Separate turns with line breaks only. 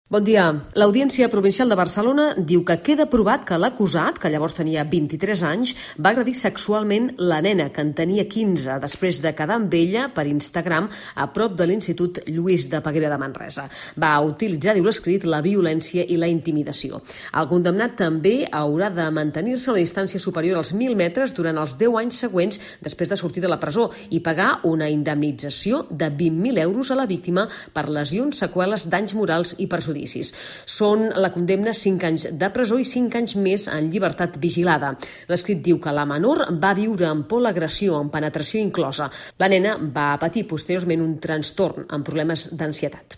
Bon dia. L'Audiència Provincial de Barcelona diu que queda provat que l'acusat, que llavors tenia 23 anys, va agredir sexualment la nena, que en tenia 15, després de quedar amb ella per Instagram a prop de l'Institut Lluís de Peguera de Manresa. Va utilitzar, diu l'escrit, la violència i la intimidació. El condemnat també haurà de mantenir-se a una distància superior als 1.000 metres durant els 10 anys següents després de sortir de la presó i pagar una indemnització de 20.000 euros a la víctima per lesions, seqüeles, danys morals i perjudicis. Són la condemna 5 anys de presó i 5 anys més en llibertat vigilada. L'escrit diu que la menor va viure amb por l'agressió, amb penetració inclosa. La nena va patir posteriorment un trastorn amb problemes d'ansietat.